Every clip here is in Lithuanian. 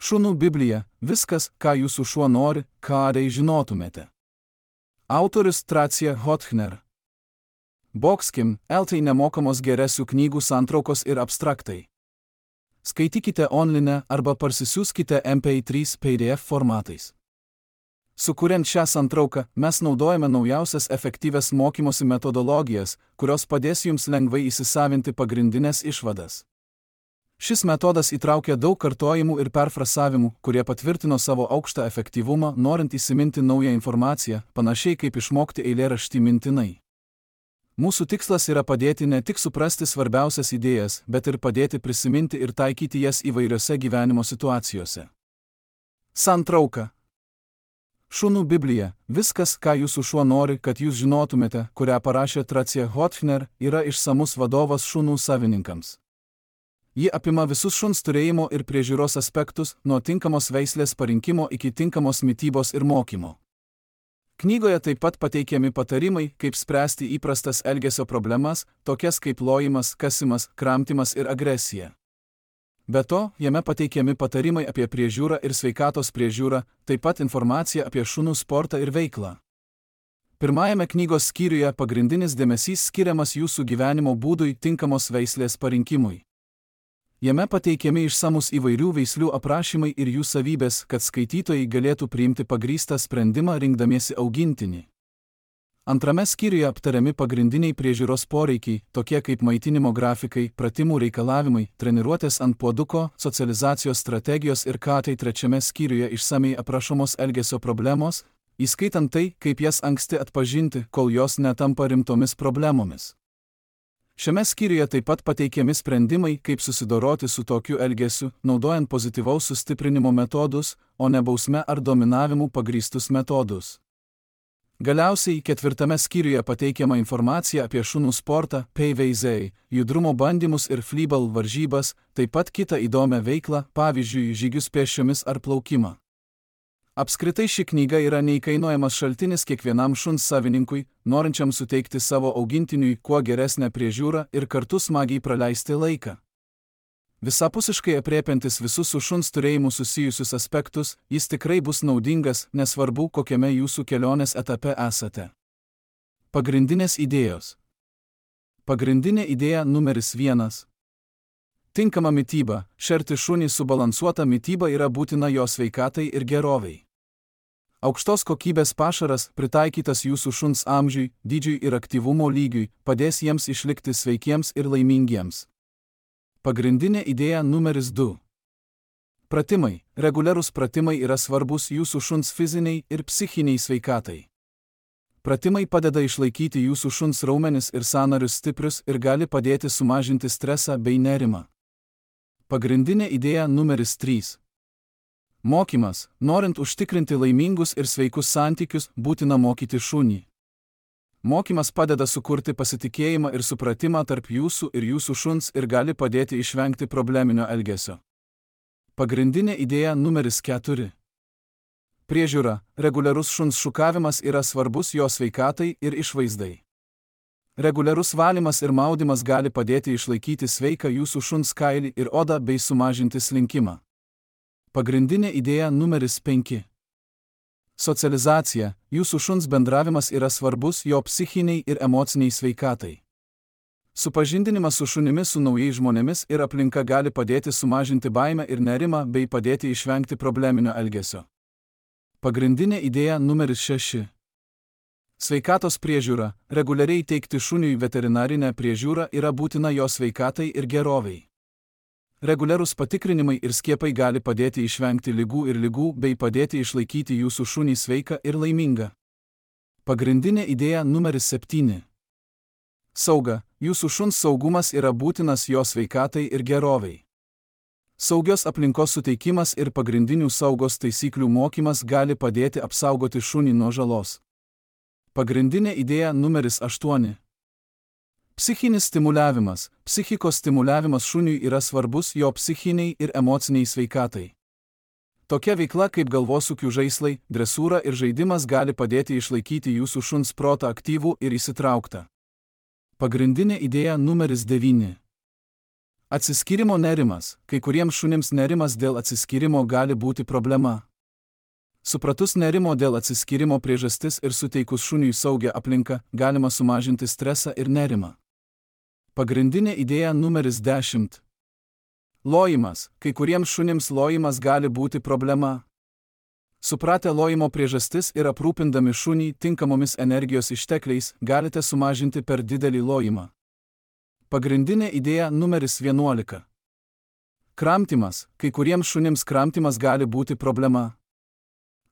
Šunų Biblija – viskas, ką jūsų šuo nori, ką žinotumėte. Autorius Tracija Hotchner. Boxkim, LT nemokamos geresių knygų santraukos ir abstraktai. Skaitykite online arba parsisiųskite MP3 PDF formatais. Sukuriant šią santrauką, mes naudojame naujausias efektyvias mokymosi metodologijas, kurios padės jums lengvai įsisavinti pagrindinės išvadas. Šis metodas įtraukia daug kartojimų ir perfrasavimų, kurie patvirtino savo aukštą efektyvumą, norint įsiminti naują informaciją, panašiai kaip išmokti eilėraštį mintinai. Mūsų tikslas yra padėti ne tik suprasti svarbiausias idėjas, bet ir padėti prisiminti ir taikyti jas įvairiose gyvenimo situacijose. Santrauka. Šunų Biblija – viskas, ką jūsų šuo nori, kad jūs žinotumėte, kurią parašė Tracija Hotchner, yra išsamus vadovas šunų savininkams. Ji apima visus šuns turėjimo ir priežiūros aspektus, nuo tinkamos veislės parinkimo iki tinkamos mitybos ir mokymo. Knygoje taip pat pateikiami patarimai, kaip spręsti įprastas elgesio problemas, tokias kaip lojimas, kasimas, kramtymas ir agresija. Be to, jame pateikiami patarimai apie priežiūrą ir sveikatos priežiūrą, taip pat informacija apie šunų sportą ir veiklą. Pirmajame knygos skyriuje pagrindinis dėmesys skiriamas jūsų gyvenimo būdui tinkamos veislės parinkimui. Jame pateikiami išsamus įvairių veislių aprašymai ir jų savybės, kad skaitytojai galėtų priimti pagrįstą sprendimą rinkdamiesi augintinį. Antrame skyriuje aptariami pagrindiniai priežiūros poreikiai, tokie kaip maitinimo grafikai, pratimų reikalavimai, treniruotės ant puoduko, socializacijos strategijos ir trečiame skyriuje išsamei aprašomos elgesio problemos, įskaitant tai, kaip jas anksti atpažinti, kol jos netampa rimtomis problemomis. Šiame skyriuje taip pat pateikiami sprendimai, kaip susidoroti su tokiu elgesiu, naudojant pozityvaus sustiprinimo metodus, o ne bausme ar dominavimu pagrįstus metodus. Galiausiai ketvirtame skyriuje pateikiama informacija apie šunų sportą, PVZ, judrumo bandymus ir flyball varžybas, taip pat kitą įdomią veiklą, pavyzdžiui, žygius pėsčiomis ar plaukimą. Apskritai ši knyga yra neįkainojamas šaltinis kiekvienam šuns savininkui, norinčiam suteikti savo augintiniui kuo geresnę priežiūrą ir kartu smagiai praleisti laiką. Visapusiškai aprėpiantis visus su šuns turėjimu susijusius aspektus, jis tikrai bus naudingas, nesvarbu, kokiame jūsų kelionės etape esate. Pagrindinės idėjos. Pagrindinė idėja numeris 1. Tinkama mityba. Šerti šunį subalansuota mityba yra būtina jo sveikatai ir gerovei. Aukštos kokybės pašaras, pritaikytas jūsų šuns amžiui, dydžiui ir aktyvumo lygiui, padės jiems išlikti sveikiems ir laimingiems. Pagrindinė idėja numeris 2. Pratimai. Reguliarūs pratimai yra svarbus jūsų šuns fiziniai ir psichiniai sveikatai. Pratimai padeda išlaikyti jūsų šuns raumenis ir sąnarius stiprius ir gali padėti sumažinti stresą bei nerimą. Pagrindinė idėja numeris 3. Mokymas. Norint užtikrinti laimingus ir sveikus santykius, būtina mokyti šunį. Mokymas padeda sukurti pasitikėjimą ir supratimą tarp jūsų ir jūsų šuns ir gali padėti išvengti probleminio elgesio. Pagrindinė idėja numeris 4. Priežiūra. Reguliarus šuns šukavimas yra svarbus jo sveikatai ir išvaizdai. Reguliarus valymas ir maudymas gali padėti išlaikyti sveiką jūsų šuns kailį ir odą bei sumažinti slinkimą. Pagrindinė idėja numeris 5. Socializacija. Jūsų šuns bendravimas yra svarbus jo psichiniai ir emociniai sveikatai. Supažindinimas su šunimis su naujais žmonėmis ir aplinka gali padėti sumažinti baimę ir nerimą bei padėti išvengti probleminio elgesio. Pagrindinė idėja numeris 6. Sveikatos priežiūra. Reguliariai teikti šuniui veterinarinę priežiūrą yra būtina jo sveikatai ir gerovei. Reguliarūs patikrinimai ir skiepai gali padėti išvengti ligų bei padėti išlaikyti jūsų šunį sveiką ir laimingą. Pagrindinė idėja numeris 7. Sauga. Jūsų šuns saugumas yra būtinas jo sveikatai ir gerovei. Saugios aplinkos suteikimas ir pagrindinių saugos taisyklių mokymas gali padėti apsaugoti šunį nuo žalos. Pagrindinė idėja numeris 8. Psichinis stimuliavimas. Psichikos stimuliavimas šuniui yra svarbus jo psichiniai ir emociniai sveikatai. Tokia veikla kaip galvosūkių žaislai, dresūra ir žaidimas gali padėti išlaikyti jūsų šuns protą aktyvų ir įsitrauktą. Pagrindinė idėja numeris 9. Atsiskyrimo nerimas. Kai kuriems šunims nerimas dėl atsiskyrimo gali būti problema. Supratus nerimo dėl atsiskyrimo priežastis ir suteikus šuniui saugią aplinką, galima sumažinti stresą ir nerimą. Pagrindinė idėja numeris 10. Lojimas. Kai kuriems šunims lojimas gali būti problema. Supratę lojimo priežastis ir aprūpindami šunį tinkamomis energijos ištekliais, galite sumažinti per didelį lojimą. Pagrindinė idėja numeris 11. Kramtymas. Kai kuriems šunims kramtymas gali būti problema.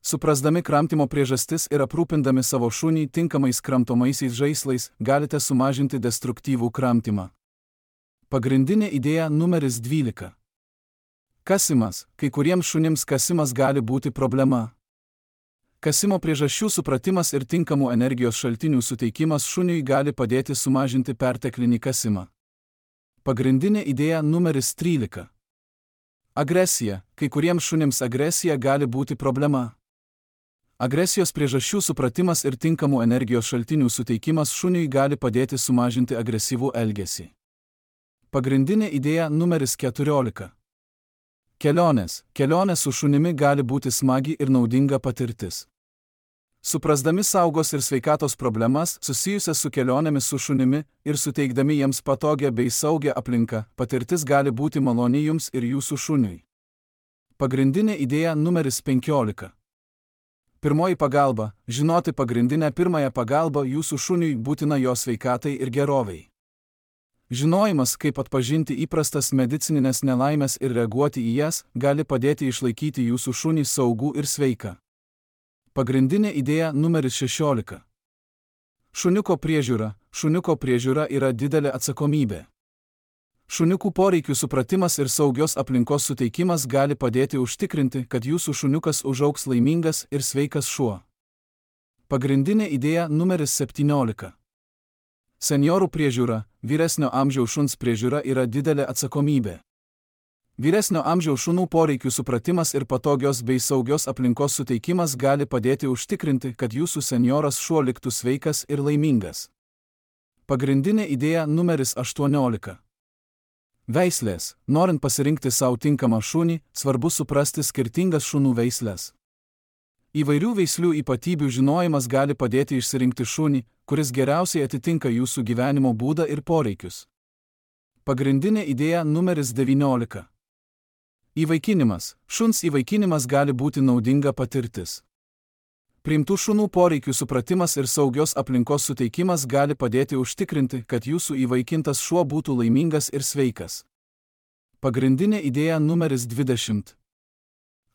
Suprasdami kramtymo priežastis ir aprūpindami savo šunį tinkamais kramtomaisiais žaislais, galite sumažinti destruktyvų kramtymą. Pagrindinė idėja numeris 12. Kasimas. Kai kuriems šunims kasimas gali būti problema. Kasimo priežasčių supratimas ir tinkamų energijos šaltinių suteikimas šuniui gali padėti sumažinti perteklinį kasimą. Pagrindinė idėja numeris 13. Agresija. Kai kuriems šunims agresija gali būti problema. Agresijos priežasčių supratimas ir tinkamų energijos šaltinių suteikimas šuniui gali padėti sumažinti agresyvų elgesį. Pagrindinė idėja numeris 14. Kelionės. Kelionės su šunimi gali būti smagi ir naudinga patirtis. Suprasdami saugos ir sveikatos problemas susijusias su kelionėmis su šunimi ir suteikdami jiems patogią bei saugią aplinką, patirtis gali būti maloni jums ir jūsų šuniui. Pagrindinė idėja numeris 15. Pirmoji pagalba. Žinoti pagrindinę pirmąją pagalbą jūsų šuniui būtina jo sveikatai ir gerovei. Žinojimas, kaip atpažinti įprastas medicininės nelaimės ir reaguoti į jas, gali padėti išlaikyti jūsų šunį saugų ir sveiką. Pagrindinė idėja numeris 16. Šuniuko priežiūra. Šuniuko priežiūra yra didelė atsakomybė. Šuniukų poreikių supratimas ir saugios aplinkos suteikimas gali padėti užtikrinti, kad jūsų šuniukas užaugs laimingas ir sveikas šuo. Pagrindinė idėja numeris 17. Senjorų priežiūra. Vyresnio amžiaus šuns priežiūra yra didelė atsakomybė. Vyresnio amžiaus šunų poreikių supratimas ir patogios bei saugios aplinkos suteikimas gali padėti užtikrinti, kad jūsų senjoras šuo liktų sveikas ir laimingas. Pagrindinė idėja numeris 18. Veislės. Norint pasirinkti savo tinkamą šunį, svarbu suprasti skirtingas šunų veislės. Įvairių veislių ypatybių žinojimas gali padėti išsirinkti šunį, kuris geriausiai atitinka jūsų gyvenimo būdą ir poreikius. Pagrindinė idėja numeris 19. Įvaikinimas. Šuns įvaikinimas gali būti naudinga patirtis. Priimtų šunų poreikių supratimas ir saugios aplinkos suteikimas gali padėti užtikrinti, kad jūsų įvaikintas šuo būtų laimingas ir sveikas. Pagrindinė idėja numeris 20.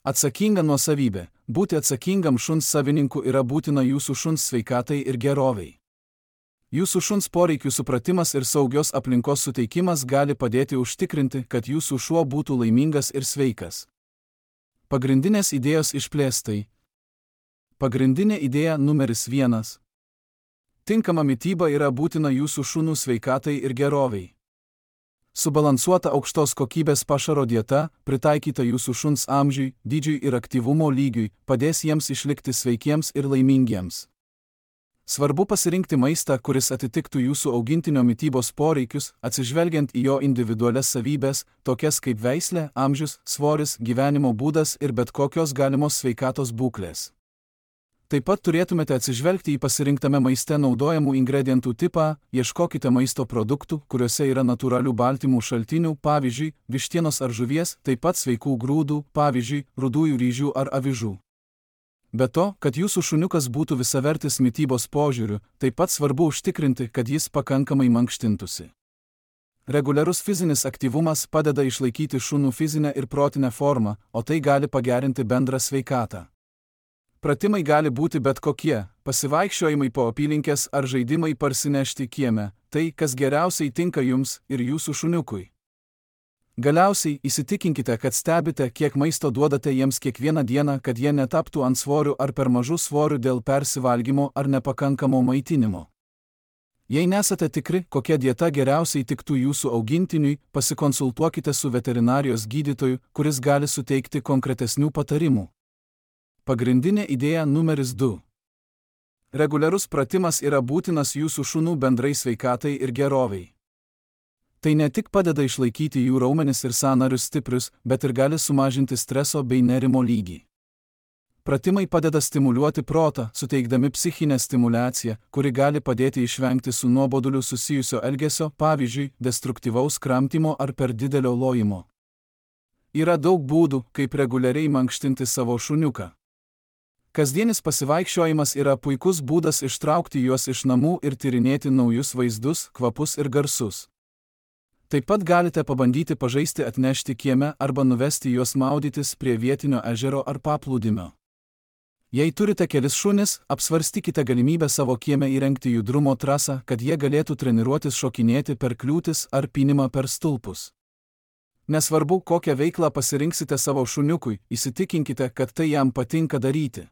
Atsakinga nuosavybė. Būti atsakingam šuns savininku yra būtina jūsų šuns sveikatai ir gerovei. Jūsų šuns poreikių supratimas ir saugios aplinkos suteikimas gali padėti užtikrinti, kad jūsų šuo būtų laimingas ir sveikas. Pagrindinės idėjos išplėstai. Pagrindinė idėja numeris 1. Tinkama mityba yra būtina jūsų šunų sveikatai ir gerovei. Subalansuota aukštos kokybės pašaro dieta, pritaikyta jūsų šuns amžiui, dydžiui ir aktyvumo lygiui, padės jiems išlikti sveikiems ir laimingiems. Svarbu pasirinkti maistą, kuris atitiktų jūsų augintinio mitybos poreikius, atsižvelgiant į jo individualias savybės, tokias kaip veislė, amžius, svoris, gyvenimo būdas ir bet kokios galimos sveikatos būklės. Taip pat turėtumėte atsižvelgti į pasirinktame maiste naudojamų ingredientų tipą, ieškokite maisto produktų, kuriuose yra natūralių baltymų šaltinių, pavyzdžiui, vištienos ar žuvies, taip pat sveikų grūdų, pavyzdžiui, rudųjų ryžių ar avižų. Be to, kad jūsų šuniukas būtų visavertis mitybos požiūriu, taip pat svarbu užtikrinti, kad jis pakankamai mankštintųsi. Reguliarus fizinis aktyvumas padeda išlaikyti šunų fizinę ir protinę formą, o tai gali pagerinti bendrą sveikatą. Pratimai gali būti bet kokie – pasivaikščiojimai po apylinkės ar žaidimai parsinešti kieme, tai, kas geriausiai tinka jums ir jūsų šuniukui. Galiausiai įsitikinkite, kad stebite, kiek maisto duodate jiems kiekvieną dieną, kad jie netaptų ant svorių ar per mažų svorių dėl persivalgymo ar nepakankamo maitinimo. Jei nesate tikri, kokia dieta geriausiai tiktų jūsų augintiniui, pasikonsultuokite su veterinarijos gydytoju, kuris gali suteikti konkretesnių patarimų. Pagrindinė idėja numeris 2. Reguliarus pratimas yra būtinas jūsų šunų bendrai sveikatai ir gerovei. Tai ne tik padeda išlaikyti jų raumenis ir sąnarius stiprius, bet ir gali sumažinti streso bei nerimo lygį. Pratimai padeda stimuliuoti protą, suteikdami psichinę stimulaciją, kuri gali padėti išvengti su nuoboduliu susijusio elgesio, pavyzdžiui, destruktyvaus kramtymo ar per didelio lojimo. Yra daug būdų, kaip reguliariai mankštinti savo šuniuką. Kasdienis pasivaikščiojimas yra puikus būdas ištraukti juos iš namų ir tyrinėti naujus vaizdus, kvapus ir garsus. Taip pat galite pabandyti pažaisti atnešti kieme arba nuvesti juos maudytis prie vietinio ežero ar paplūdimio. Jei turite kelis šunis, apsvarstykite galimybę savo kieme įrengti judrumo trasą, kad jie galėtų treniruotis šokinėti per kliūtis ar pynimą per stulpus. Nesvarbu, kokią veiklą pasirinksite savo šuniukui, įsitikinkite, kad tai jam patinka daryti.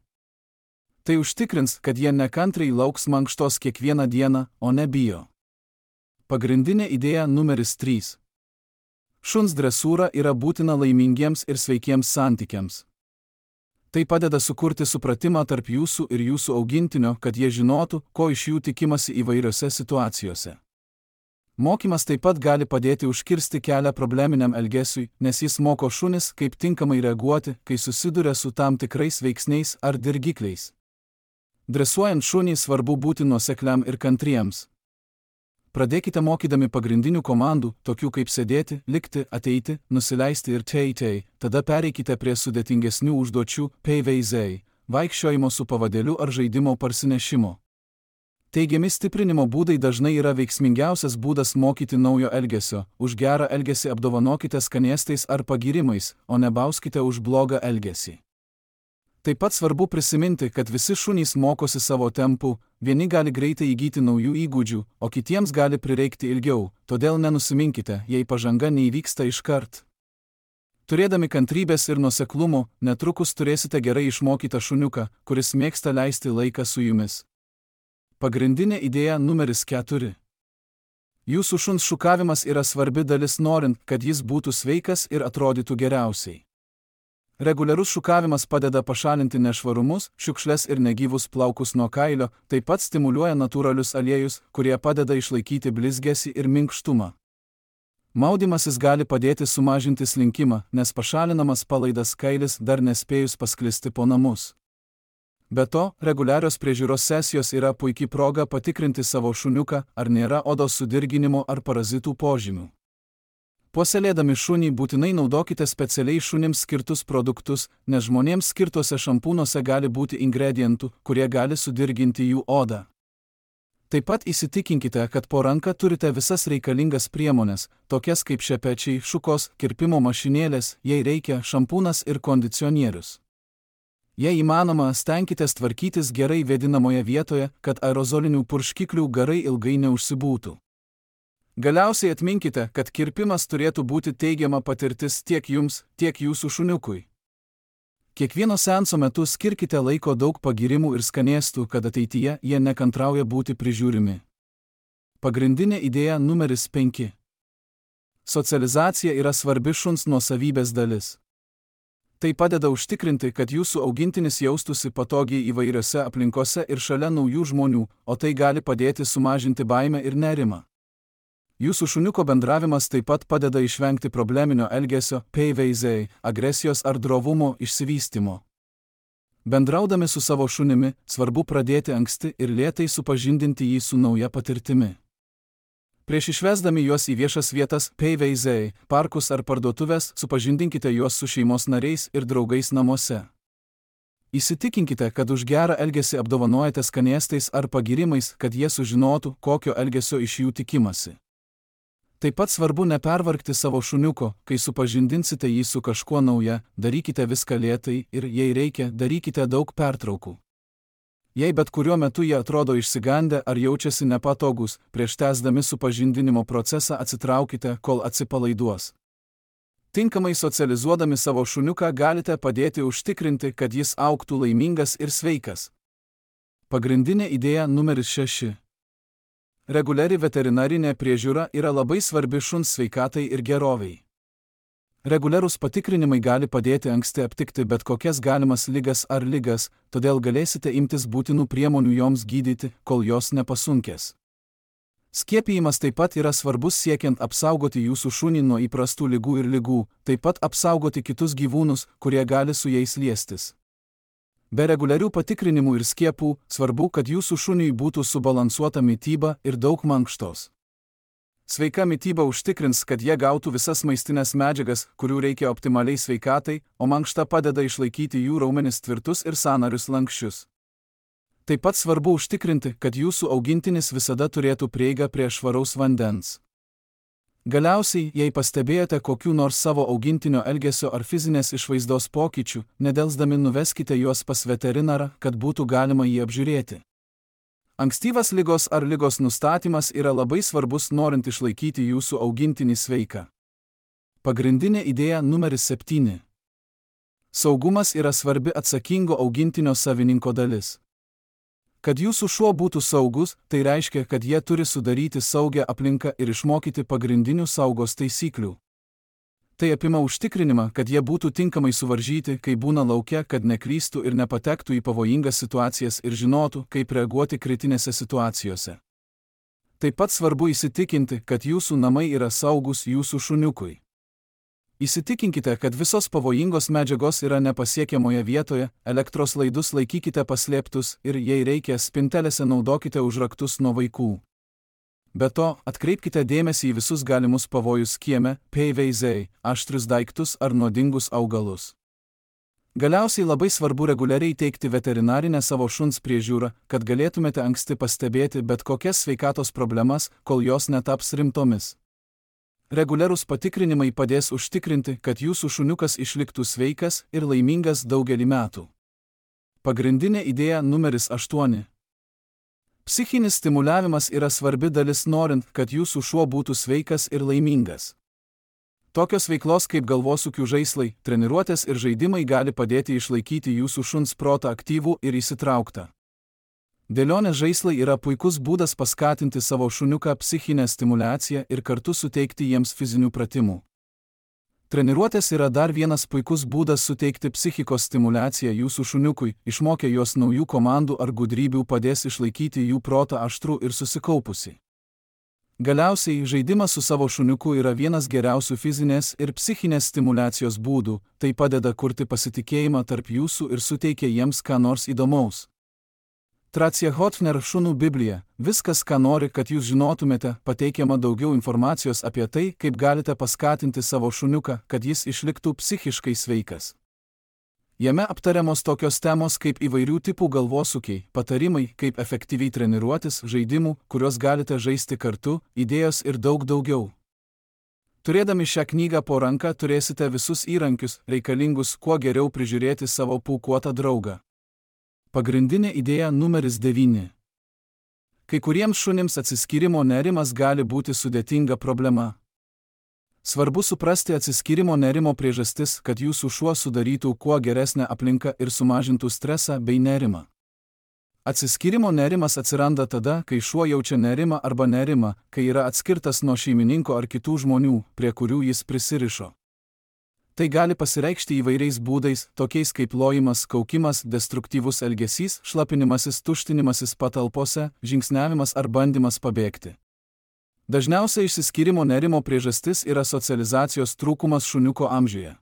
Tai užtikrins, kad jie nekantriai lauks mankštos kiekvieną dieną, o ne bijo. Pagrindinė idėja numeris 3. Šuns dresūra yra būtina laimingiems ir sveikiems santykiams. Tai padeda sukurti supratimą tarp jūsų ir jūsų augintinio, kad jie žinotų, ko iš jų tikimasi įvairiose situacijose. Mokymas taip pat gali padėti užkirsti kelią probleminiam elgesiui, nes jis moko šunis, kaip tinkamai reaguoti, kai susiduria su tam tikrais veiksniais ar dirgikliais. Dresuojant šunį svarbu būti nuosekliam ir kantriems. Pradėkite mokydami pagrindinių komandų, tokių kaip sėdėti, likti, ateiti, nusileisti ir tei, tada pereikite prie sudėtingesnių užduočių, peivei, vaikščiojimo su pavadėliu ar žaidimo parsinešimo. Teigiami stiprinimo būdai dažnai yra veiksmingiausias būdas mokyti naujo elgesio, už gerą elgesį apdovanokite skanėstais ar pagyrimais, o nebauskite už blogą elgesį. Taip pat svarbu prisiminti, kad visi šunys mokosi savo tempu, vieni gali greitai įgyti naujų įgūdžių, o kitiems gali prireikti ilgiau, todėl nenusiminkite, jei pažanga neįvyksta iškart. Turėdami kantrybės ir nuoseklumo, netrukus turėsite gerai išmokytą šuniuką, kuris mėgsta leisti laiką su jumis. Pagrindinė idėja numeris 4. Jūsų šuns šukavimas yra svarbi dalis norint, kad jis būtų sveikas ir atrodytų geriausiai. Reguliarus šukavimas padeda pašalinti nešvarumus, šiukšles ir negyvus plaukus nuo kailio, taip pat stimuliuoja natūralius aliejus, kurie padeda išlaikyti blizgesį ir minkštumą. Maudymasis gali padėti sumažinti slinkimą, nes pašalinamas palaidas kailis dar nespėjus pasklisti po namus. Be to, reguliarios priežiūros sesijos yra puikiai proga patikrinti savo šuniuką, ar nėra odos sudirginimo ar parazitų požymių. Puoselėdami šunį būtinai naudokite specialiai šunims skirtus produktus, nes žmonėms skirtuose šampūnuose gali būti ingredientų, kurie gali sudirginti jų odą. Taip pat įsitikinkite, kad po ranka turite visas reikalingas priemones, tokias kaip šepečiai, šukos, kirpimo mašinėlės, jei reikia, šampūnas ir kondicionierius. Jei įmanoma, stenkitės tvarkytis gerai vėdinamoje vietoje, kad aerozolinių purškiklių garai ilgai neužsibūtų. Galiausiai atminkite, kad kirpimas turėtų būti teigiama patirtis tiek jums, tiek jūsų šuniukui. Kiekvieno seanso metu skirkite laiko daug pagyrimų ir skanėstų, kad ateityje jie nekantrauja būti prižiūrimi. Pagrindinė idėja numeris 5. Socializacija yra svarbi šuns nuosavybės dalis. Tai padeda užtikrinti, kad jūsų augintinis jaustųsi patogiai įvairiose aplinkose ir šalia naujų žmonių, o tai gali padėti sumažinti baimę ir nerimą. Jūsų šuniuko bendravimas taip pat padeda išvengti probleminio elgesio, peivei, agresijos ar drovumo išsivystymo. Bendraudami su savo šunimi, svarbu pradėti anksti ir lėtai supažindinti jį su nauja patirtimi. Prieš išvesdami juos į viešas vietas, peivei, parkus ar parduotuvės, supažindinkite juos su šeimos nariais ir draugais namuose. Įsitikinkite, kad už gerą elgesį apdovanojate skanėstais ar pagyrimais, kad jie sužinotų, kokio elgesio iš jų tikimasi. Taip pat svarbu nepervargti savo šuniuko, kai supažindinsite jį su kažkuo nauja, darykite viską lėtai ir, jei reikia, darykite daug pertraukų. Jei bet kuriuo metu jie atrodo išsigandę ar jaučiasi nepatogus, prieš tęsdami supažindinimo procesą atsitraukite, kol atsipalaiduos. Tinkamai socializuodami savo šuniuką galite padėti užtikrinti, kad jis augtų laimingas ir sveikas. Pagrindinė idėja numeris 6. Reguliari veterinarinė priežiūra yra labai svarbi šuns sveikatai ir gerovei. Reguliarūs patikrinimai gali padėti anksti aptikti bet kokias galimas ligas ar ligas, todėl galėsite imtis būtinų priemonių joms gydyti, kol jos nepasunkės. Skiepijimas taip pat yra svarbus siekiant apsaugoti jūsų šunį nuo įprastų ligų ir ligų, taip pat apsaugoti kitus gyvūnus, kurie gali su jais liestis. Be reguliarių patikrinimų ir skiepų, svarbu, kad jūsų šuniui būtų subalansuota mityba ir daug mankštos. Sveika mityba užtikrins, kad jie gautų visas maistinės medžiagas, kurių reikia optimaliai sveikatai, o mankšta padeda išlaikyti jų raumenis tvirtus ir sąnarius lanksčius. Taip pat svarbu užtikrinti, kad jūsų augintinis visada turėtų prieigą prie švaraus vandens. Galiausiai, jei pastebėjote kokių nors savo augintinio elgesio ar fizinės išvaizdos pokyčių, nedelsdami nuveskite juos pas veterinarą, kad būtų galima jį apžiūrėti. Ankstyvas ligos ar ligos nustatymas yra labai svarbus norint išlaikyti jūsų augintinį sveiką. Pagrindinė idėja numeris 7. Saugumas yra svarbi atsakingo augintinio savininko dalis. Kad jūsų šuo būtų saugus, tai reiškia, kad jie turi sudaryti saugią aplinką ir išmokyti pagrindinių saugos taisyklių. Tai apima užtikrinimą, kad jie būtų tinkamai suvaržyti, kai būna lauke, kad neklystų ir nepatektų į pavojingas situacijas ir žinotų, kaip reaguoti kritinėse situacijose. Taip pat svarbu įsitikinti, kad jūsų namai yra saugus jūsų šuniukui. Įsitikinkite, kad visos pavojingos medžiagos yra nepasiekiamoje vietoje, elektros laidus laikykite paslėptus ir, jei reikia, spintelėse naudokite užraktus nuo vaikų. Be to, atkreipkite dėmesį į visus galimus pavojus kieme, peiveizei, aštrius daiktus ar nuodingus augalus. Galiausiai labai svarbu reguliariai teikti veterinarinę savo šuns priežiūrą, kad galėtumėte anksti pastebėti bet kokias sveikatos problemas, kol jos netaps rimtomis. Reguliarūs patikrinimai padės užtikrinti, kad jūsų šuniukas išliktų sveikas ir laimingas daugelį metų. Pagrindinė idėja numeris 8. Psichinis stimuliavimas yra svarbi dalis norint, kad jūsų šuo būtų sveikas ir laimingas. Tokios veiklos kaip galvosūkių žaislai, treniruotės ir žaidimai gali padėti išlaikyti jūsų šuns protą aktyvų ir įsitrauktą. Dėlionės žaislai yra puikus būdas paskatinti savo šuniuką psichinę stimulaciją ir kartu suteikti jiems fizinių pratimų. Treniruotės yra dar vienas puikus būdas suteikti psichikos stimulaciją jūsų šuniukui, išmokę juos naujų komandų ar gudrybių padės išlaikyti jų protą aštrų ir susikaupusi. Galiausiai, žaidimas su savo šuniuku yra vienas geriausių fizinės ir psichinės stimulacijos būdų, tai padeda kurti pasitikėjimą tarp jūsų ir suteikia jiems ką nors įdomaus. Tracia Hotchner šunų Biblija, viskas, ką nori, kad jūs žinotumėte, pateikiama daugiau informacijos apie tai, kaip galite paskatinti savo šuniuką, kad jis išliktų psichiškai sveikas. Jame aptariamos tokios temos kaip įvairių tipų galvosūkiai, patarimai, kaip efektyviai treniruotis, žaidimų, kuriuos galite žaisti kartu, idėjos ir daug daugiau. Turėdami šią knygą po ranka turėsite visus įrankius, reikalingus kuo geriau prižiūrėti savo pūkuotą draugą. Pagrindinė idėja numeris 9. Kai kuriems šunims atsiskyrimo nerimas gali būti sudėtinga problema. Svarbu suprasti atsiskyrimo nerimo priežastis, kad jūsų šuo sudarytų kuo geresnę aplinką ir sumažintų stresą bei nerimą. Atsiskyrimo nerimas atsiranda tada, kai šuo jaučia nerimą arba nerimą, kai yra atskirtas nuo šeimininko ar kitų žmonių, prie kurių jis prisirišo. Tai gali pasireikšti įvairiais būdais, tokiais kaip lojimas, kaukimas, destruktyvus elgesys, šlapinimasis, tuštinimasis patalpose, žingsniavimas ar bandymas pabėgti. Dažniausiai išsiskyrimo nerimo priežastis yra socializacijos trūkumas šuniuko amžiuje.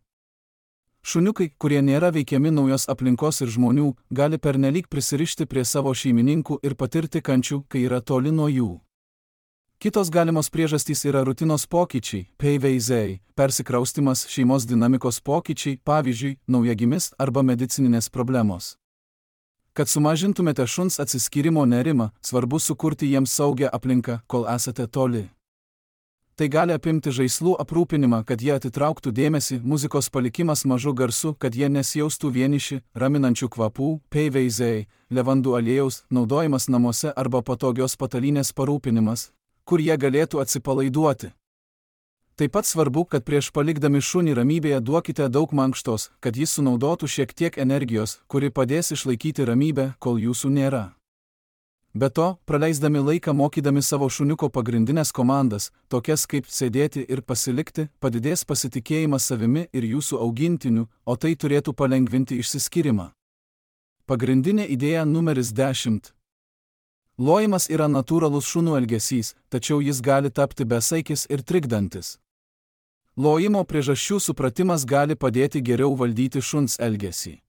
Šuniukai, kurie nėra veikiami naujos aplinkos ir žmonių, gali pernelyg prisirišti prie savo šeimininkų ir patirti kančių, kai yra toli nuo jų. Kitos galimos priežastys yra rutinos pokyčiai, peiveizei, persikraustimas, šeimos dinamikos pokyčiai, pavyzdžiui, naujagimis arba medicininės problemos. Kad sumažintumėte šuns atsiskyrimo nerimą, svarbu sukurti jiems saugią aplinką, kol esate toli. Tai gali apimti žaislų aprūpinimą, kad jie atitrauktų dėmesį, muzikos palikimas mažu garsu, kad jie nesijaustų vieniši, raminančių kvapų, peiveizei, levandų aliejaus, naudojimas namuose arba patogios patalynės parūpinimas, kur jie galėtų atsipalaiduoti. Taip pat svarbu, kad prieš palikdami šunį ramybėje duokite daug mankštos, kad jis sunaudotų šiek tiek energijos, kuri padės išlaikyti ramybę, kol jūsų nėra. Be to, praleisdami laiką mokydami savo šuniuko pagrindinės komandas, tokias kaip sėdėti ir pasilikti, padidės pasitikėjimas savimi ir jūsų augintiniu, o tai turėtų palengvinti išsiskyrimą. Pagrindinė idėja numeris 10. Lojimas yra natūralus šunų elgesys, tačiau jis gali tapti besaikis ir trikdantis. Lojimo priežasčių supratimas gali padėti geriau valdyti šuns elgesį.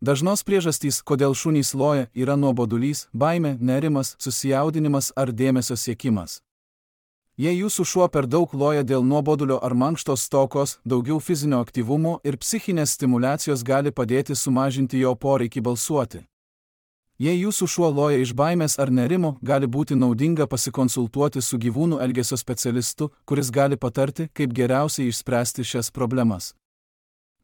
Dažnos priežastys, kodėl šunys loja, yra nuobodulys, baimė, nerimas, susijaudinimas ar dėmesio siekimas. Jei jūsų šuo per daug loja dėl nuobodulio ar mankštos stokos, daugiau fizinio aktyvumo ir psichinės stimulacijos gali padėti sumažinti jo poreikį balsuoti. Jei jūsų šuo loja iš baimės ar nerimo, gali būti naudinga pasikonsultuoti su gyvūnų elgesio specialistu, kuris gali patarti, kaip geriausiai išspręsti šias problemas.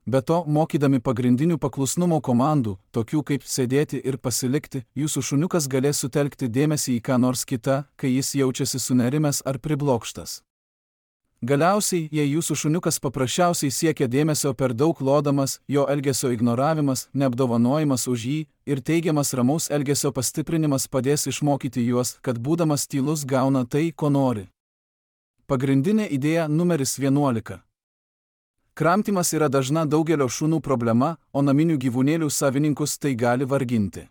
Be to, mokydami pagrindinių paklusnumo komandų, tokių kaip sėdėti ir pasilikti, jūsų šuniukas galės sutelkti dėmesį į ką nors kitą, kai jis jaučiasi sunerimęs ar priblokštas. Galiausiai, jei jūsų šuniukas paprasčiausiai siekia dėmesio per daug lodamas, jo elgesio ignoravimas, neapdovanojimas už jį ir teigiamas ramaus elgesio pastiprinimas padės išmokyti juos, kad būdamas tylus gauna tai, ko nori. Pagrindinė idėja numeris 11. Kramtymas yra dažna daugelio šunų problema, o naminių gyvūnėlių savininkus tai gali varginti.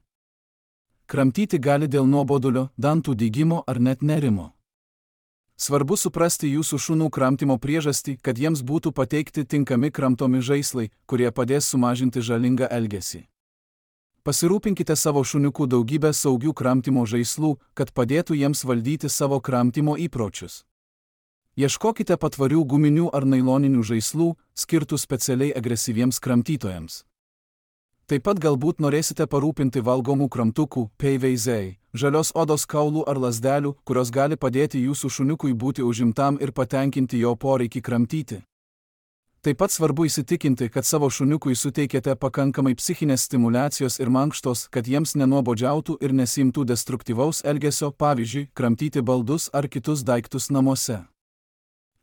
Kramtyti gali dėl nuobodulio, dantų dygimo ar net nerimo. Svarbu suprasti jūsų šunų kramtymo priežastį, kad jiems būtų pateikti tinkami kramtomi žaislai, kurie padės sumažinti žalingą elgesį. Pasirūpinkite savo šuniukų daugybę saugių kramtymo žaislų, kad padėtų jiems valdyti savo kramtymo įpročius. Ieškokite patvarių guminių ar nailoninių žaislų, skirtų specialiai agresyviems kramtytojams. Taip pat galbūt norėsite parūpinti valgomų kramtukų, PVZ, žalios odos kaulų ar lazdelių, kurios gali padėti jūsų šuniukui būti užimtam ir patenkinti jo poreikį kramtyti. Taip pat svarbu įsitikinti, kad savo šuniukui suteikėte pakankamai psichinės stimulacijos ir mankštos, kad jiems nenuobodžiautų ir nesimtų destruktyvaus elgesio, pavyzdžiui, kramtyti baldus ar kitus daiktus namuose.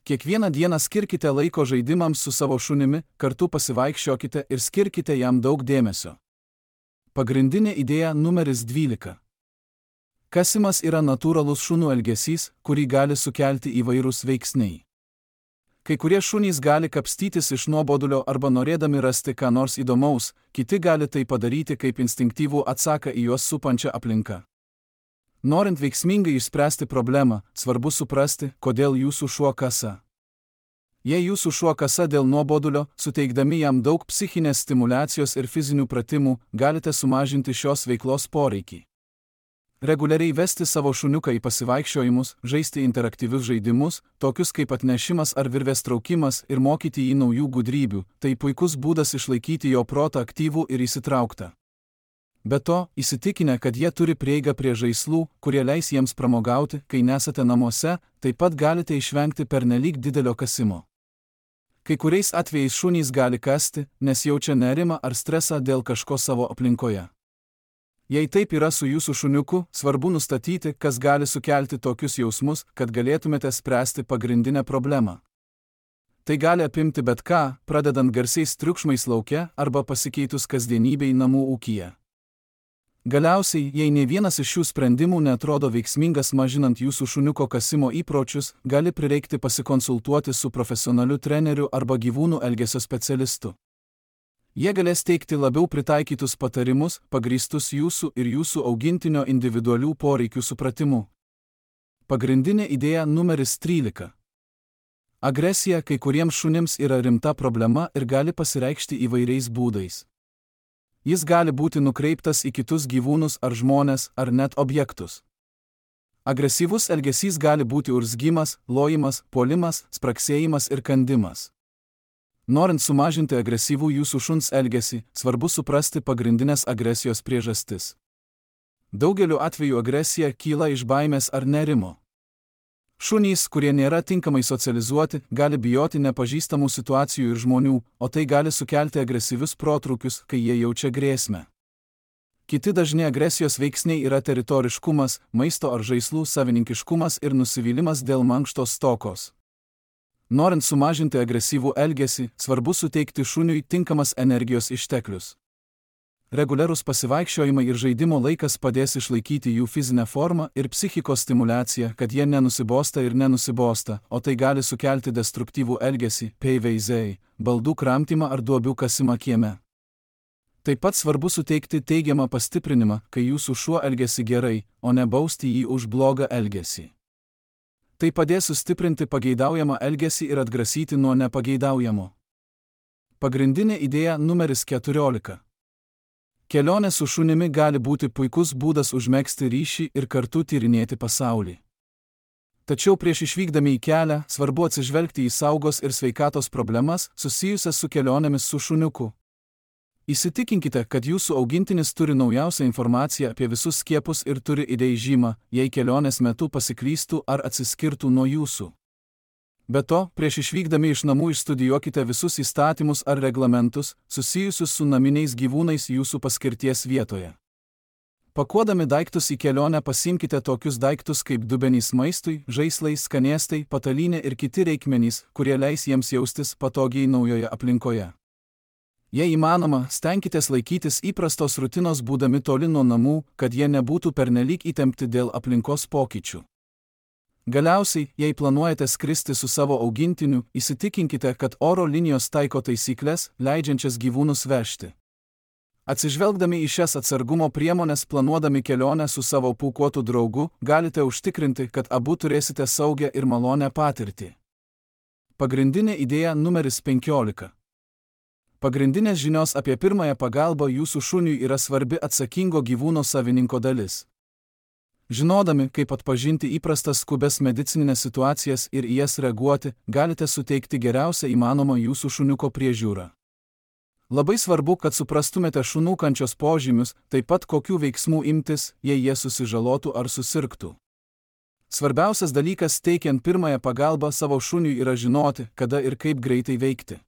Kiekvieną dieną skirkite laiko žaidimams su savo šunimi, kartu pasivaikščiokite ir skirkite jam daug dėmesio. Pagrindinė idėja numeris 12. Kasimas yra natūralus šunų elgesys, kurį gali sukelti įvairūs veiksniai. Kai kurie šunys gali kapstytis iš nuobodulio arba norėdami rasti ką nors įdomaus, kiti gali tai padaryti kaip instinktyvų atsaką į juos supančią aplinką. Norint veiksmingai išspręsti problemą, svarbu suprasti, kodėl jūsų šuo kasa. Jei jūsų šuo kasa dėl nuobodulio, suteikdami jam daug psichinės stimulacijos ir fizinių pratimų, galite sumažinti šios veiklos poreikį. Reguliariai vesti savo šuniuką į pasivaikščiojimus, žaisti interaktyvius žaidimus, tokius kaip atnešimas ar virvės traukimas ir mokyti jį naujų gudrybių, tai puikus būdas išlaikyti jo protą aktyvų ir įsitrauktą. Be to, įsitikinę, kad jie turi prieigą prie žaislų, kurie leis jiems pramogauti, kai nesate namuose, taip pat galite išvengti pernelyg didelio kasimo. Kai kuriais atvejais šunys gali kasti, nes jaučia nerimą ar stresą dėl kažko savo aplinkoje. Jei taip yra su jūsų šuniuku, svarbu nustatyti, kas gali sukelti tokius jausmus, kad galėtumėte spręsti pagrindinę problemą. Tai gali apimti bet ką, pradedant garsiais triukšmais lauke arba pasikeitus kasdienybei namų ūkyje. Galiausiai, jei ne vienas iš šių sprendimų neatrodo veiksmingas mažinant jūsų šuniuko kasimo įpročius, gali prireikti pasikonsultuoti su profesionaliu treneriu arba gyvūnų elgesio specialistu. Jie galės teikti labiau pritaikytus patarimus, pagrįstus jūsų ir jūsų augintinio individualių poreikių supratimu. Pagrindinė idėja numeris 13. Agresija kai kuriems šunims yra rimta problema ir gali pasireikšti įvairiais būdais. Jis gali būti nukreiptas į kitus gyvūnus ar žmones, ar net objektus. Agresyvus elgesys gali būti urzgimas, lojimas, puolimas, spragsėjimas ir kandimas. Norint sumažinti agresyvų jūsų šuns elgesį, svarbu suprasti pagrindinės agresijos priežastis. Daugeliu atveju agresija kyla iš baimės ar nerimo. Šunys, kurie nėra tinkamai socializuoti, gali bijoti nepažįstamų situacijų ir žmonių, o tai gali sukelti agresyvius protrūkius, kai jie jaučia grėsmę. Kiti dažni agresijos veiksniai yra teritoriškumas, maisto ar žaislų savininkiškumas ir nusivylimas dėl mankštos stokos. Norint sumažinti agresyvų elgesį, svarbu suteikti šuniui tinkamas energijos išteklius. Reguliarūs pasivaikščiojimai ir žaidimo laikas padės išlaikyti jų fizinę formą ir psichikos stimulaciją, kad jie nenusibosta ir nenusibosta, o tai gali sukelti destruktyvų elgesį, PVZ, baldų kramtymą ar duobių kasimą kieme. Taip pat svarbu suteikti teigiamą pastiprinimą, kai jūsų šuo elgiasi gerai, o ne bausti jį už blogą elgesį. Tai padės sustiprinti pageidaujamą elgesį ir atgrasyti nuo nepageidaujamo. Pagrindinė idėja numeris 14. Kelionė su šunimi gali būti puikus būdas užmegzti ryšį ir kartu tyrinėti pasaulį. Tačiau prieš išvykdami į kelią, svarbu atsižvelgti į saugos ir sveikatos problemas susijusias su kelionėmis su šuniuku. Įsitikinkite, kad jūsų augintinis turi naujausią informaciją apie visus skiepus ir turi ID žymą, jei kelionės metu pasiklystų ar atsiskirtų nuo jūsų. Be to, prieš išvykdami iš namų išstudijuokite visus įstatymus ar reglamentus, susijusius su naminiais gyvūnais jūsų paskirties vietoje. Pakuodami daiktus į kelionę pasiimkite tokius daiktus kaip dubenys maistui, žaislai, skanėstai, patalynė ir kiti reikmenys, kurie leis jiems jaustis patogiai naujoje aplinkoje. Jei įmanoma, stenkitės laikytis įprastos rutinos būdami toli nuo namų, kad jie nebūtų pernelyg įtempti dėl aplinkos pokyčių. Galiausiai, jei planuojate skristi su savo augintiniu, įsitikinkite, kad oro linijos taiko taisykles, leidžiančias gyvūnus vežti. Atsižvelgdami į šias atsargumo priemones planuodami kelionę su savo pūkuotu draugu, galite užtikrinti, kad abu turėsite saugią ir malonią patirtį. Pagrindinė idėja numeris 15. Pagrindinės žinios apie pirmąją pagalbą jūsų šuniui yra svarbi atsakingo gyvūno savininko dalis. Žinodami, kaip atpažinti įprastas skubes medicininės situacijas ir į jas reaguoti, galite suteikti geriausią įmanomą jūsų šuniuko priežiūrą. Labai svarbu, kad suprastumėte šunų kančios požymius, taip pat kokių veiksmų imtis, jei jie susižalotų ar susirgtų. Svarbiausias dalykas teikiant pirmąją pagalbą savo šuniui yra žinoti, kada ir kaip greitai veikti.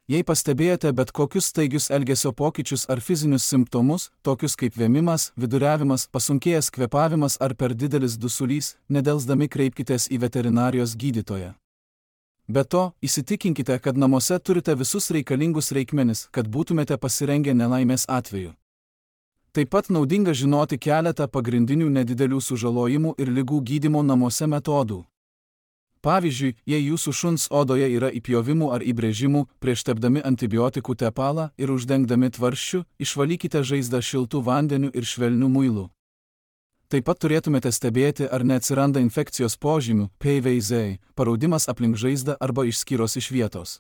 Jei pastebėjote bet kokius staigius elgesio pokyčius ar fizinius simptomus, tokius kaip vėmimas, viduriavimas, pasunkėjęs kvėpavimas ar per didelis dusulys, nedelsdami kreipkitės į veterinarijos gydytoją. Be to, įsitikinkite, kad namuose turite visus reikalingus reikmenis, kad būtumėte pasirengę nelaimės atveju. Taip pat naudinga žinoti keletą pagrindinių nedidelių sužalojimų ir ligų gydymo namuose metodų. Pavyzdžiui, jei jūsų šuns odoje yra įpjovimų ar įbrėžimų, prieš tepdami antibiotikų tepalą ir uždengdami tvarsčiu, išvalykite žaizdą šiltu vandeniu ir švelniu muilu. Taip pat turėtumėte stebėti, ar neatsiranda infekcijos požymių, PVZ, paraudimas aplink žaizdą arba išskyros iš vietos.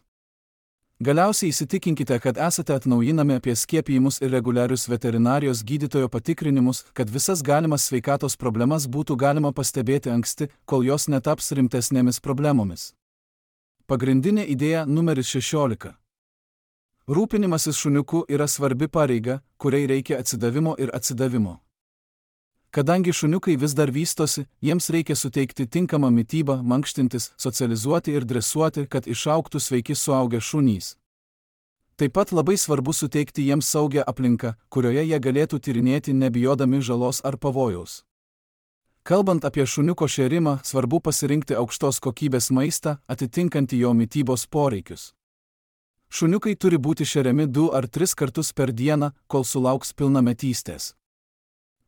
Galiausiai įsitikinkite, kad esate atnaujinami apie skiepijimus ir reguliarius veterinarijos gydytojo patikrinimus, kad visas galimas sveikatos problemas būtų galima pastebėti anksti, kol jos netaps rimtesnėmis problemomis. Pagrindinė idėja numeris 16. Rūpinimasis šuniuku yra svarbi pareiga, kuriai reikia atsidavimo ir atsidavimo. Kadangi šuniukai vis dar vystosi, jiems reikia suteikti tinkamą mitybą, mankštintis, socializuoti ir dresuoti, kad išaugtų sveiki suaugę šunys. Taip pat labai svarbu suteikti jiems saugią aplinką, kurioje jie galėtų tyrinėti nebijodami žalos ar pavojaus. Kalbant apie šuniuko šėrimą, svarbu pasirinkti aukštos kokybės maistą, atitinkantį jo mitybos poreikius. Šuniukai turi būti šeriami 2 ar 3 kartus per dieną, kol sulauks pilnametystės.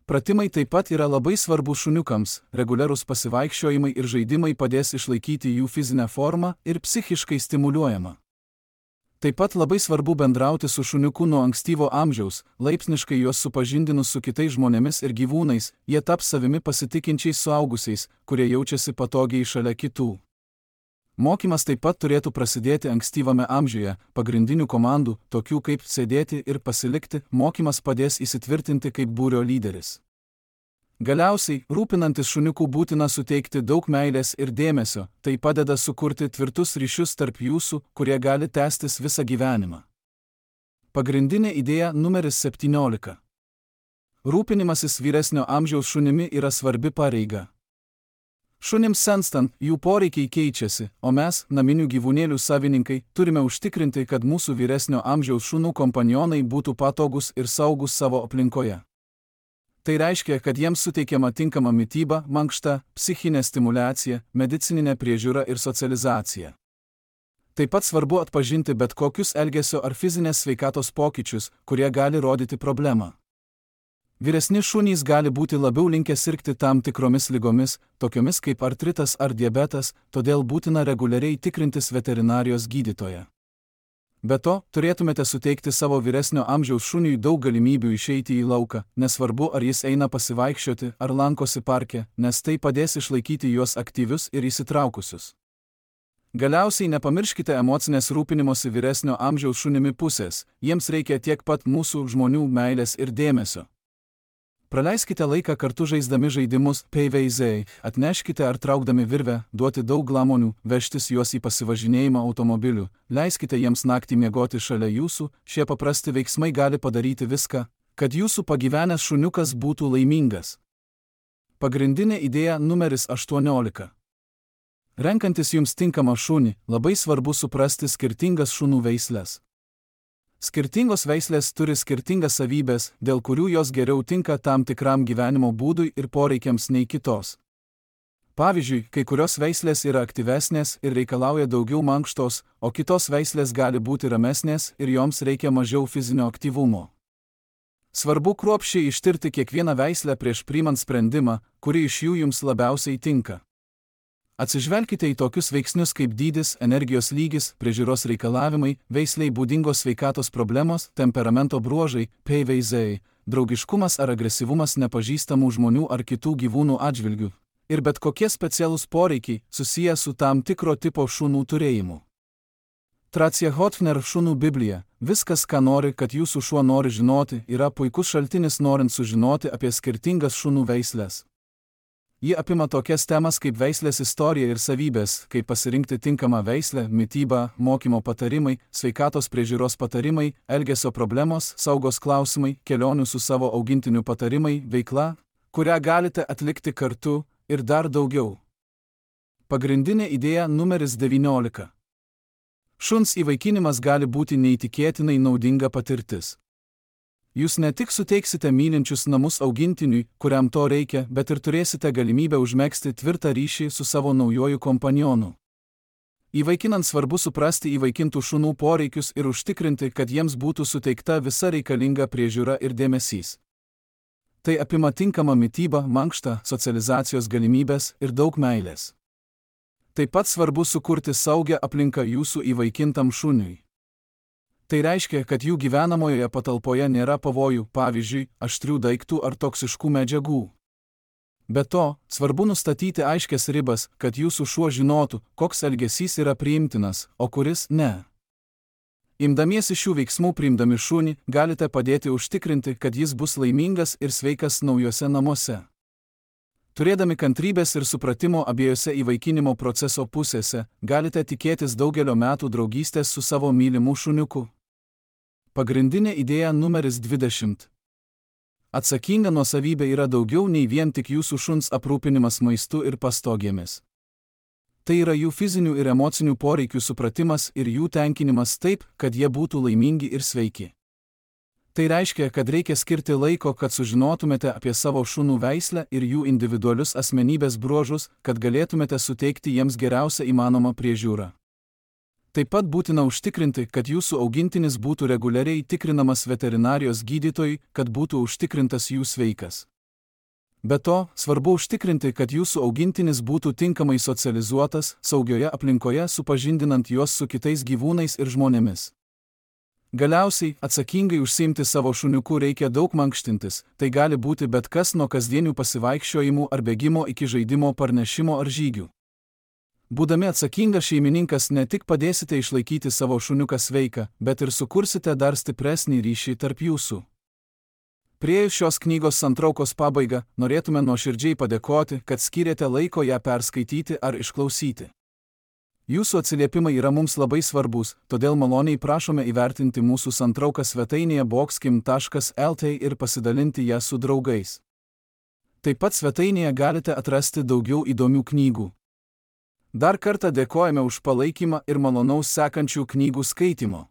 Pratimai taip pat yra labai svarbu šuniukams, reguliarūs pasivaikščiojimai ir žaidimai padės išlaikyti jų fizinę formą ir psichiškai stimuliuojamą. Taip pat labai svarbu bendrauti su šuniuku nuo ankstyvo amžiaus, laipsniškai juos supažindinus su kitais žmonėmis ir gyvūnais, jie taps savimi pasitikinčiais suaugusiais, kurie jaučiasi patogiai šalia kitų. Mokymas taip pat turėtų prasidėti ankstyvame amžiuje, pagrindinių komandų, tokių kaip sėdėti ir pasilikti, mokymas padės įsitvirtinti kaip būrio lyderis. Galiausiai, rūpinantis šuniuku būtina suteikti daug meilės ir dėmesio, tai padeda sukurti tvirtus ryšius tarp jūsų, kurie gali tęstis visą gyvenimą. Pagrindinė idėja numeris 17. Rūpinimasis vyresnio amžiaus šunimi yra svarbi pareiga. Šunims senstant, jų poreikiai keičiasi, o mes, naminių gyvūnėlių savininkai, turime užtikrinti, kad mūsų vyresnio amžiaus šunų kompanionai būtų patogus ir saugus savo aplinkoje. Tai reiškia, kad jiems suteikiama tinkama mityba, mankšta, psichinė stimulacija, medicininė priežiūra ir socializacija. Taip pat svarbu atpažinti bet kokius elgesio ar fizinės sveikatos pokyčius, kurie gali rodyti problemą. Vyresni šunys gali būti labiau linkę sirgti tam tikromis ligomis, tokiomis kaip artritas ar diabetas, todėl būtina reguliariai tikrintis veterinarijos gydytoją. Be to, turėtumėte suteikti savo vyresnio amžiaus šuniui daug galimybių išeiti į lauką, nesvarbu ar jis eina pasivaikščioti ar lankosi parke, nes tai padės išlaikyti juos aktyvius ir įsitraukusius. Galiausiai nepamirškite emocinės rūpinimosi vyresnio amžiaus šunimi pusės, jiems reikia tiek pat mūsų žmonių meilės ir dėmesio. Praleiskite laiką kartu žaisdami žaidimus, PVZ, atneškite ar traukdami virvę, duoti daug glamonių, vežtis juos į pasivažinėjimą automobiliu, leiskite jiems naktį miegoti šalia jūsų, šie paprasti veiksmai gali padaryti viską, kad jūsų pagyvenęs šuniukas būtų laimingas. Pagrindinė idėja numeris 18. Renkantis jums tinkamą šunį, labai svarbu suprasti skirtingas šunų veisles. Skirtingos veislės turi skirtingas savybės, dėl kurių jos geriau tinka tam tikram gyvenimo būdui ir poreikiams nei kitos. Pavyzdžiui, kai kurios veislės yra aktyvesnės ir reikalauja daugiau mankštos, o kitos veislės gali būti ramesnės ir joms reikia mažiau fizinio aktyvumo. Svarbu kruopščiai ištirti kiekvieną veislę prieš priimant sprendimą, kuri iš jų jums labiausiai tinka. Atsižvelkite į tokius veiksnius kaip dydis, energijos lygis, priežiūros reikalavimai, veisliai būdingos sveikatos problemos, temperamento bruožai, PVZ, draugiškumas ar agresyvumas nepažįstamų žmonių ar kitų gyvūnų atžvilgių, ir bet kokie specialūs poreikiai susiję su tam tikro tipo šunų turėjimu. Tracia Hotchner šunų Biblija. Viskas, ką nori, kad jūsų šuo nori žinoti, yra puikus šaltinis norint sužinoti apie skirtingas šunų veislės. Ji apima tokias temas kaip veislės istorija ir savybės, kaip pasirinkti tinkamą veislę, mitybą, mokymo patarimai, sveikatos priežiūros patarimai, elgesio problemos, saugos klausimai, kelionių su savo augintiniu patarimai, veikla, kurią galite atlikti kartu ir dar daugiau. Pagrindinė idėja numeris 19. Šuns įvaikinimas gali būti neįtikėtinai naudinga patirtis. Jūs ne tik suteiksite mylinčius namus augintiniui, kuriam to reikia, bet ir turėsite galimybę užmegzti tvirtą ryšį su savo naujoju kompanionu. Įvaikinant svarbu suprasti įvaikintų šunų poreikius ir užtikrinti, kad jiems būtų suteikta visa reikalinga priežiūra ir dėmesys. Tai apima tinkamą mitybą, mankštą, socializacijos galimybės ir daug meilės. Taip pat svarbu sukurti saugią aplinką jūsų įvaikintam šuniui. Tai reiškia, kad jų gyvenamojoje patalpoje nėra pavojų, pavyzdžiui, aštrių daiktų ar toksiškų medžiagų. Be to, svarbu nustatyti aiškias ribas, kad jūsų šuo žinotų, koks elgesys yra priimtinas, o kuris ne. Imdamiesi šių veiksmų priimdami šunį, galite padėti užtikrinti, kad jis bus laimingas ir sveikas naujuose namuose. Turėdami kantrybės ir supratimo abiejose įvaikinimo proceso pusėse, galite tikėtis daugelio metų draugystės su savo mylimu šuniuku. Pagrindinė idėja numeris 20. Atsakinga nuosavybė yra daugiau nei vien tik jūsų šuns aprūpinimas maistu ir pastogėmis. Tai yra jų fizinių ir emocinių poreikių supratimas ir jų tenkinimas taip, kad jie būtų laimingi ir sveiki. Tai reiškia, kad reikia skirti laiko, kad sužinotumėte apie savo šunų veislę ir jų individualius asmenybės bruožus, kad galėtumėte suteikti jiems geriausią įmanomą priežiūrą. Taip pat būtina užtikrinti, kad jūsų augintinis būtų reguliariai tikrinamas veterinarijos gydytojui, kad būtų užtikrintas jų sveikas. Be to, svarbu užtikrinti, kad jūsų augintinis būtų tinkamai socializuotas, saugioje aplinkoje supažindinant juos su kitais gyvūnais ir žmonėmis. Galiausiai, atsakingai užsiimti savo šuniuku reikia daug mankštintis, tai gali būti bet kas nuo kasdienių pasivaikščiojimų ar bėgimo iki žaidimo, parnešimo ar žygių. Būdami atsakingas šeimininkas ne tik padėsite išlaikyti savo šuniuką sveiką, bet ir sukursite dar stipresnį ryšį tarp jūsų. Priėjus šios knygos santraukos pabaigą, norėtume nuoširdžiai padėkoti, kad skyrėte laiko ją perskaityti ar išklausyti. Jūsų atsiliepimai yra mums labai svarbus, todėl maloniai prašome įvertinti mūsų santrauką svetainėje boxkim.lt ir pasidalinti ją su draugais. Taip pat svetainėje galite atrasti daugiau įdomių knygų. Dar kartą dėkojame už palaikymą ir malonaus sekančių knygų skaitimo.